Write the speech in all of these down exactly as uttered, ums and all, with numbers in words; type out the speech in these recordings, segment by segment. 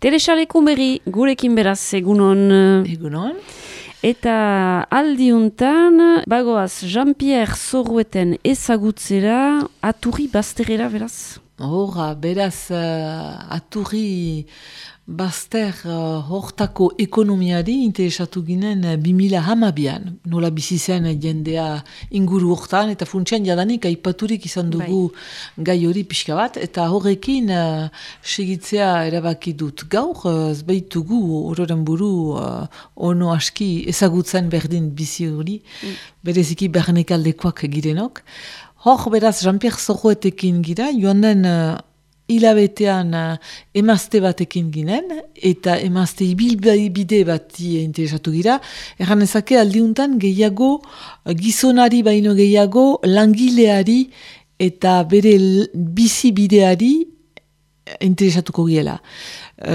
Telesalekun berri, gurekin beraz, egunon. Egunon. Eta aldiuntan, bagoaz Jean-Pierre Zorrueten ezagutzera, Aturri bazterera beraz? Horra, beraz, uh, Aturri bazter uh, hortako ekonomiari interesatu ginen uh, bimila hamabian. Nola bizi zen jendea inguru hortan, eta funtsian jadanik aipaturik izan dugu bai. Gai hori pixka bat, eta horrekin uh, segitzea erabaki dut. Gaur, uh, zbaitugu ororen buru uh, ono aski ezagutzen berdin bizi hori, mm. bereziki bernekaldekoak girenok. Hor, beraz, Jean-Pierre Zorruetekin gira, joan den uh, hilabetean uh, emazte batekin ginen, eta emazte ibilbide bati interesatu gira. Erran ezake aldiuntan gehiago, uh, gizonari baino gehiago, langileari eta bere bizibideari interesatuko giela.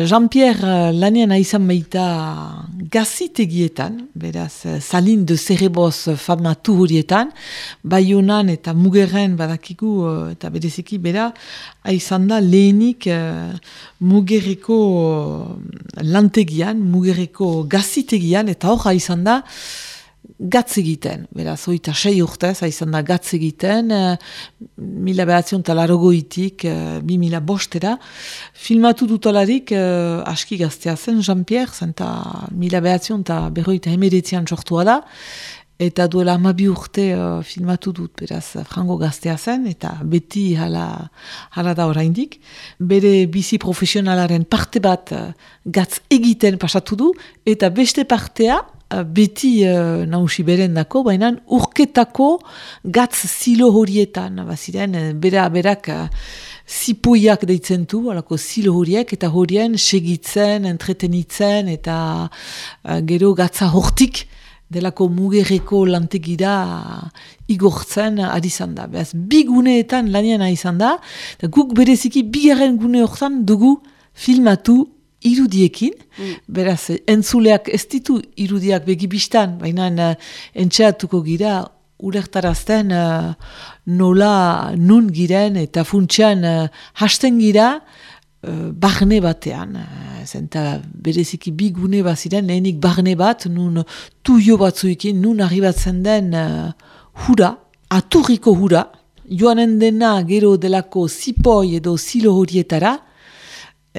Jean-Pierre lanean aizan baita gazitegietan, beraz, salin de zerreboz famatu horietan, Baionan eta Mugerren badakigu, eta bereziki bera, aizan da lehenik uh, Mugerreko lantegian, Mugerreko gazitegian, eta hor aizan da gatz egiten, beraz, oita sei urtez, aizan da gatz egiten, uh, mila behatzion talarogoitik, uh, bi mila bostera, filmatu dutalarik, uh, aski gaztea zen, Jean-Pierre, zenta mila behatzion eta berroita emeretzian sortua da, eta duela amabi urte uh, filmatu dut, beraz, frango gaztea zen, eta beti hala, hala da oraindik. Bere bizi profesionalaren parte bat uh, gatz egiten pasatu du, eta beste partea, beti uh, nausi berendako, baina urketako gatz zilo horietan, baziren, bera, berak uh, zipoiak deitzen du, alako zilo horiek, eta horien segitzen, entretenitzen, eta uh, gero gatza hortik, delako Mugerreko lantegira igortzen ari izan da. Beaz, bi guneetan lanian ari izan da, eta guk bereziki bigarren gune hortan dugu filmatu irudiekin, mm. beraz, entzuleak ez ditu irudiak begibistan, baina uh, entxeatuko gira, ulertarazten uh, nola nun giren, eta funtsian uh, hasten gira, uh, barne batean. Uh, zenta bereziki bi gune baziren, lehenik barne bat, nun tuio batzuekin, nun arribatzen den uh, hura, Aturriko hura, joanen dena gero delako zipoi edo zilo horietara,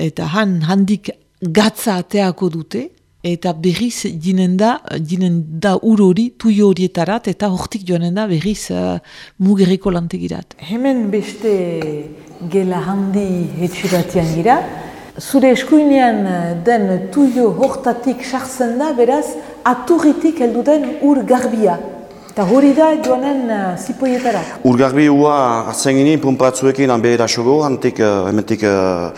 eta han handik gatza ateako dute, eta berriz jinen da, jinen da ur hori, tuio horietarat, eta hortik joanen da berriz uh, Mugerreko lantegirat. Hemen beste gela handi etxiratian gira, zure eskuinean den tuio hortatik sartzen da, beraz, Aturritik heldu den ur garbia. Eta hori da joanen uh, zipoietara. Urgarbi hua hartzen ginen, pumpatzuekin hanbehera sogo, hantik, uh, hementik uh,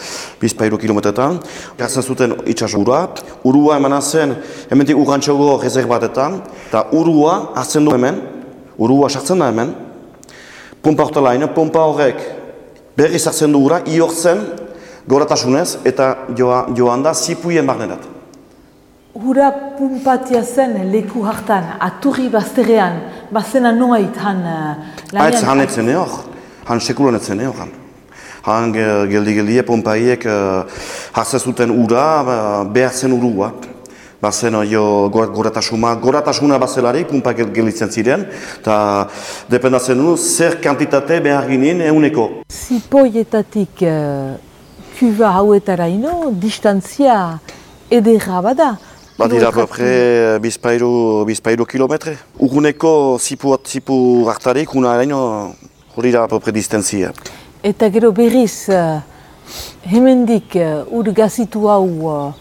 bizpairu kilometretan. Gartzen zuten itxas ura. Urua eman zen, hementik urrantxogo rezerbatetan. Eta urua hartzen du hemen, urua sartzen da hemen. Pumpa hortelain, pumpa horrek berriz hartzen du ura, iortzen goratasunez, eta joa, joan da zipuien barnerat. Hura pumpatia zen leku hartan, Aturri bazterrean, bazena noait han... Haitz han etzen eor, han sekulan etzen eor. Han, han geldi-geldie pumpaiek uh, hartzen zuten ura, behar zen urua. Bazen jo goratasuna, goratasuna bazelarik, pumpa gelditzen ziren, eta dependatzen du zer kantitate behar ginen euneko. Zipoietatik uh, kuba hauetara ino, distantzia edera bada. Badira apapre bizpairu, bizpairu kilometre. Urguneko zipu, zipu hartarik, una araino hori da apapre distantzia. Eta gero berriz, uh, hemendik uh, ur gazitu hau uh,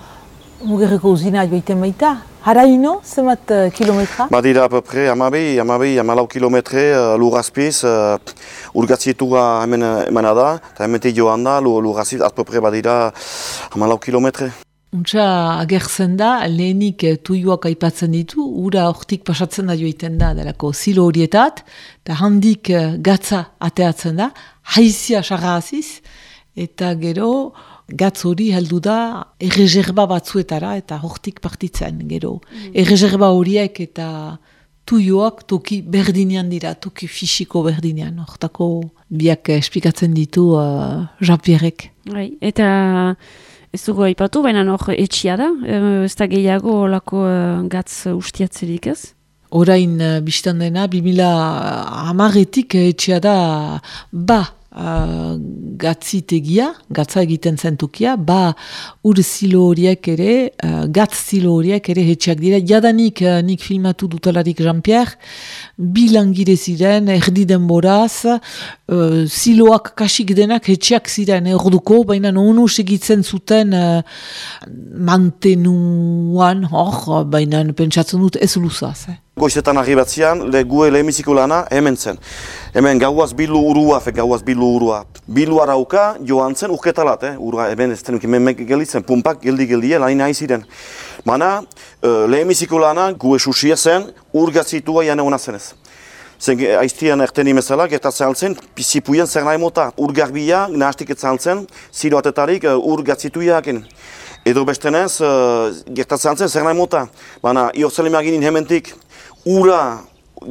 Mugerreko uzina joiten baita. Haraino, zemat uh, kilometra? Badira apapre amabi, amabi, amalau kilometre uh, lurrazpiz. Uh, ur gazitua hemen emana da, eta hementik joan da, lurrazpiz, apapre badira amalau kilometre. Untsa agertzen da, lehenik tuioak aipatzen ditu, ura hortik pasatzen da joiten da, delako zilo horietat, eta handik gatza ateatzen da, haizia sarra aziz, eta gero gatz hori heldu da erreserba batzuetara, eta hortik partitzen, gero. Mm. Erreserba horiek eta tuioak toki berdinean dira, toki fisiko berdinean, hortako biak esplikatzen ditu uh, Jean-Pierrek. Bai, eta... Ez dugu aipatu, baina hor etxia da, e, ez da gehiago olako e, gatz ustiatzerik ez? Orain uh, biztan dena, bi mila hamaretik etxea da ba uh, gatzitegia, gatza egiten zentukia, ba ur zilo horiek ere, uh, gatz zilo horiek ere etxeak dira. Jadanik uh, nik filmatu dutalarik Jean-Pierre, bi langile ziren, erdi denboraz, uh, ziloak kasik denak etxeak ziren erduko, baina onu segitzen zuten uh, mantenuan, hor, baina pentsatzen dut ez luzaz. Eh? Goizetan arribatzean, le gue lehemiziko lana hemen zen. Hemen gauaz bilu urua, fe gauaz bilu urua. Bilu arauka joan zen urketalat, eh? Urua, hemen ez tenuki memek gelditzen, pumpak geldi-geldi, lain nahi ziren. Mana, uh, lehemiziko lana gue susia zen, urgatzitua jane hona zenez. Zen aiztian erten imezala, gertatzen altzen, pizipuien zer nahi mota. Urgarbia, nahastik etzan zen, ziro atetarik uh, urgatzituiaken. Edo bestenez, uh, gertatzen altzen zer nahi mota. Baina, iortzele maginin hementik, ura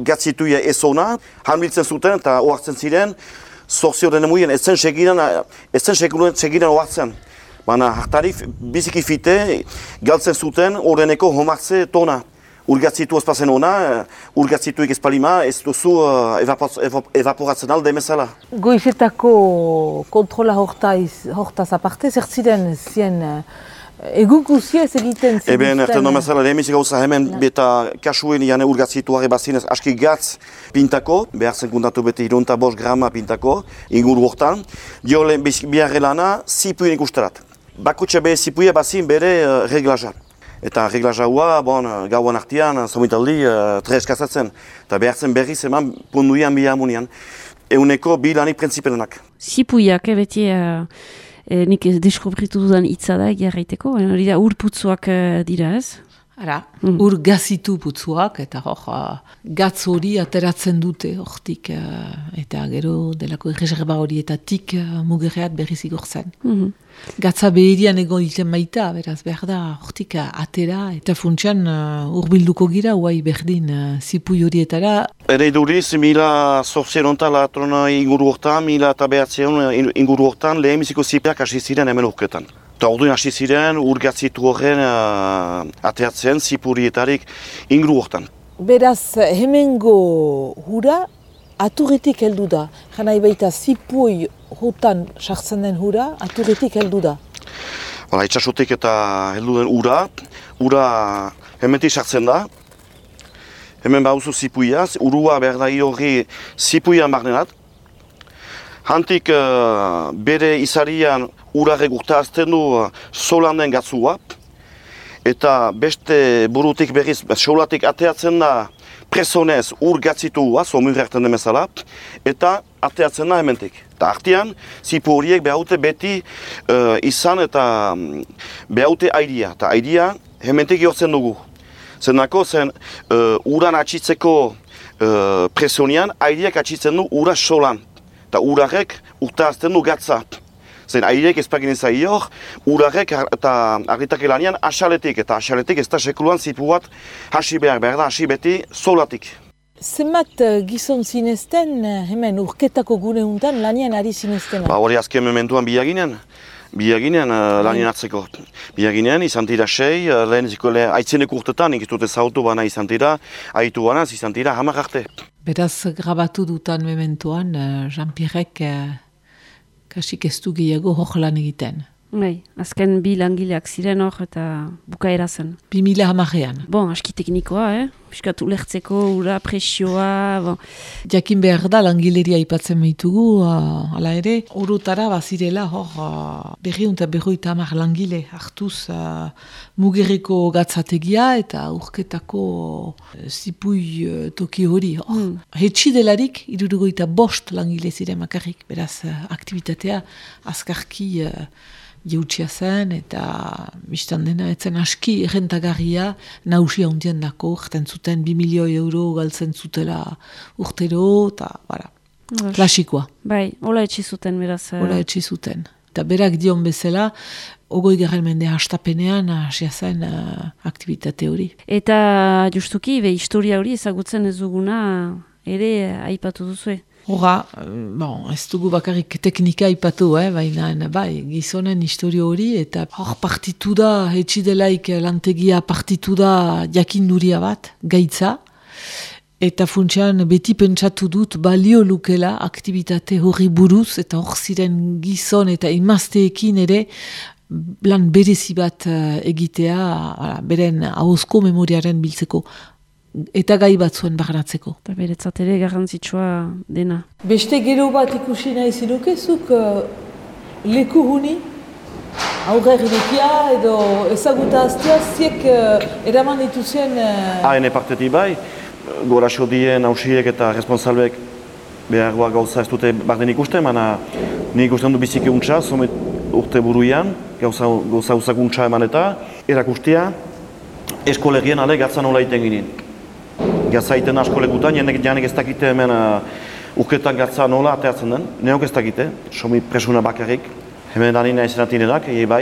gatzituia ezona, hanbiltzen zuten eta oartzen ziren, zorzio dene muien, ez zen segiran, ez zen segiran oartzen. Baina hartarik biziki fite, galtzen zuten horreneko homartze tona. Urgatzitu ezpazen ona, urgatzituik ezpalima, ez duzu uh, evaporatzen alde emezala. Goizetako kontrola hortaz aparte, zer ziren zien egun guzia ez egiten zen? Eben, erten domezala, lehemizik gauza hemen beta kasuen jane urgatzituare bazinez aski gatz pintako, behar zen kuntatu bete hirunta bost grama pintako, inguru hortan, dio lehen biharre lana zipuien ikusterat. Bakutxe behe zipuia bazin bere uh, reglaja. Eta reglaja hua, bon, gauan artian, zomitaldi, uh, tres kasatzen. Eta behar zen berriz eman punduian bihamunian. Euneko bi lanik printzipelenak. Zipuiak, eh, beti... Uh... E, nik deskobritu dudan hitza da egiarraiteko, hori da ur putzuak dira ez? Ara, mm. ur gazitu putzuak, eta hor, gatz hori ateratzen dute hortik, eta gero delako erreserba horietatik mugerreat berriz igortzen. Mm-hmm. Gatza behirian egoiten baita, beraz behar da hortik atera, eta funtsean urbilduko gira, huai berdin zipui horietara. Ere iduriz, mila zortzieronta latrona inguru hortan, mila eta behatzeon inguru hortan, lehemiziko zipeak hasi ziren hemen urketan. Eta orduan hasi ziren, urgatzitu horren uh, ateatzen zipurietarik inguru hortan. Beraz, hemengo hura aturretik heldu da. Janai baita zipui hutan sartzen den hura, aturretik heldu da. Hala, itxasotik eta heldu den ura, ura hementik sartzen da. Hemen bauzu zipuiaz, urua behar da hori zipuian barnenat. Hantik uh, bere izarian urarek urtazten du uh, solan den gatzua. Eta beste burutik berriz, solatik ateatzen da presonez ur gatzitua, somur erten demezala, eta ateatzen da hementik. Eta artean, zipu horiek behaute beti uh, izan eta um, behaute airia. Eta airia hementik jortzen dugu. Zenako zen uh, uran atxitzeko uh, presonian, airiak atxitzen du ura solan. Eta urarek urtazten du gatza. Zen airek ezpagin ezaior, urarek eta argitak elanean asaletik. Eta asaletik ez da sekuluan zipu bat hasi behar, behar da hasi beti solatik. Zenbat gizon zinezten hemen urketako gune untan lanien ari zinezten? Ba hori azken mementuan biaginen. Biaginen uh, lanien hartzeko. Biaginen izan tira sei, uh, lehen zikole aitzeneko urtetan, nik ez dut ezautu bana izan tira, aitu banaz izan tira hamar arte. Beraz, grabatu dutan mementuan, uh, Jean-Pierrek uh, kasik ez du gehiago hor lan egiten. Bai, azken bi langileak ziren hor eta bukaera zen. Bi mila hamarean. Bon, aski teknikoa, eh? Piskat ulertzeko, ura, presioa, bon. Jakin behar da langileria aipatzen behitugu, uh, ala ere, orotara bazirela hor uh, berriun eta berroita hamar langile hartuz uh, mugerreko gatzategia eta urketako uh, zipui uh, toki hori. Hor. Hmm. Hetsi delarik, irurugoita bost langile ziren makarrik, beraz uh, aktivitatea azkarki uh, jeutsia zen eta biztan dena etzen aski errentagarria nausia hundien dako, erten zuten bi milioi euro galtzen zutela urtero eta bara, klasikoa. Bai, hola etxi zuten beraz. Hola etxi zuten. Eta berak dion bezala, ogoi garren mende hastapenean hasia zen uh, aktivitate hori. Eta justuki, be, historia hori ezagutzen ez duguna ere aipatu duzue. Hora, bon, ez dugu bakarrik teknika ipatu, eh, baina bai, gizonen historio hori, eta hor partitu da, etxidelaik lantegia partitu da jakinduria bat, gaitza, eta funtsean beti pentsatu dut balio lukela aktibitate hori buruz, eta hor ziren gizon eta imazteekin ere lan berezi bat egitea, ala, beren ahozko memoriaren biltzeko. Eta gai bat zuen barnatzeko. Eta beretzat ere garrantzitsua dena. Beste gero bat ikusi nahi zirukezuk uh, leku huni, aurrerirekia edo ezaguta aztea, ziek uh, eraman dituzien... Uh... Haene partetik bai, goraxo dien hausiek eta responsalbeek behargoa gauza ez dute barden ikusten, mana nik ikusten du biziki untxa, zomet urte buruian, gauza uzakuntza eman eta, erakustia, eskolegien ale gatzan nola iten ginen. Gatza iten asko lekutan, janek, janek ez dakite hemen uh, urketan gatza nola ateatzen den, neok ez dakite, somi presuna bakarrik, hemen dani nahi zenatinenak, egi bai,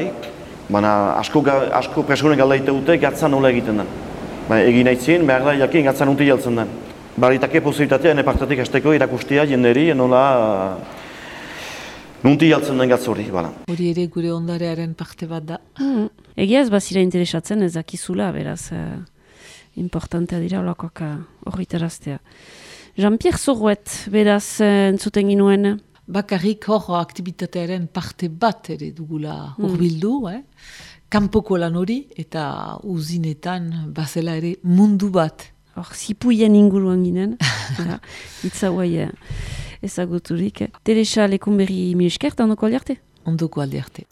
baina asko, asko presune galdaite dute gatza nola egiten den. Ba, egin nahi zien, behar da jakin gatza nunti jaltzen den. Baritake posibilitatea, ene partetik hasteko irakustia jenderi nola uh, nunti jaltzen den gatza hori. Bala. Hori ere gure ondarearen parte bat da. Mm. Egia ez bazira interesatzen ez dakizula, beraz... Uh... importantea dira olakoak horritaraztea. Jean-Pierre Zorruet, beraz, entzuten ginuen? Bakarrik hor aktibitatearen parte bat ere dugula hurbildu, mm. eh? Kanpoko lan hori eta uzinetan bazela ere mundu bat. Hor, zipuien inguruan ginen, hitza guai ezaguturik. Teresa Lekunberri mi esker, ondoko aldiarte? Ondoko aldiarte.